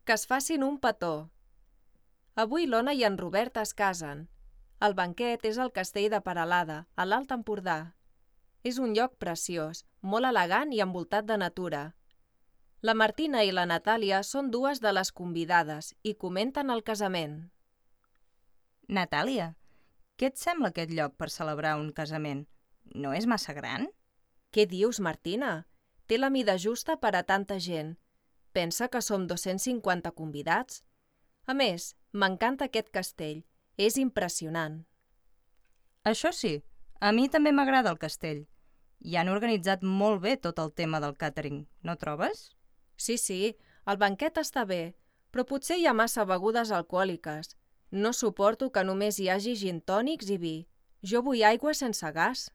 Que es facin un petó. Avui l'Ona i en Robert es casen. El banquet és al castell de Peralada, a l'Alt Empordà. És un lloc preciós, molt elegant i envoltat de natura. La Martina i la Natàlia són dues de les convidades i comenten el casament. Natàlia, què et sembla aquest lloc per celebrar un casament? No és massa gran? Què dius, Martina? Té la mida justa per a tanta gent. Pensa que som 250 convidats. A més, m'encanta aquest castell. És impressionant. Això sí, a mi també m'agrada el castell. I han organitzat molt bé tot el tema del càtering, no trobes? Sí, el banquet està bé, però potser hi ha massa begudes alcohòliques. No suporto que només hi hagi gin tònics i vi. Jo vull aigua sense gas.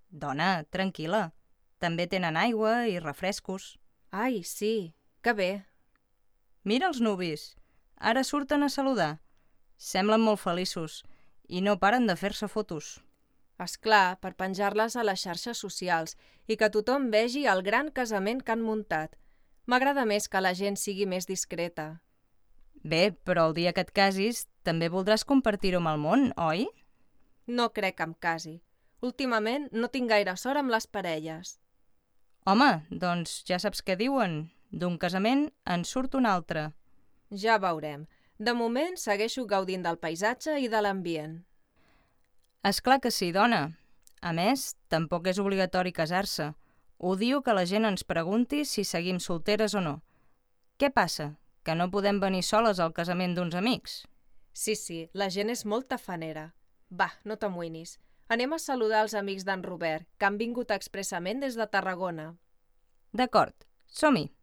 Dona, tranquil·la. També tenen aigua i refrescos. Ai, sí, que bé. Mira els nuvis. Ara surten a saludar. Semblen molt feliços i no paren de fer-se fotos. És clar, per penjar-les a les xarxes socials i que tothom vegi el gran casament que han muntat. M'agrada més que la gent sigui més discreta. Bé, però el dia que et casis també voldràs compartir-ho amb el món, oi? No crec que em casi. Últimament no tinc gaire sort amb les parelles. Home, doncs ja saps què diuen. D'un casament en surt un altre. Ja veurem. De moment segueixo gaudint del paisatge i de l'ambient. És clar que sí, dona. A més, tampoc és obligatori casar-se. Odio que la gent ens pregunti si seguim solteres o no. Què passa? Que no podem venir soles al casament d'uns amics? Sí, la gent és molt tafanera. Va, no t'amoïnis. Anem a saludar els amics d'en Robert, que han vingut expressament des de Tarragona. D'acord, som-hi.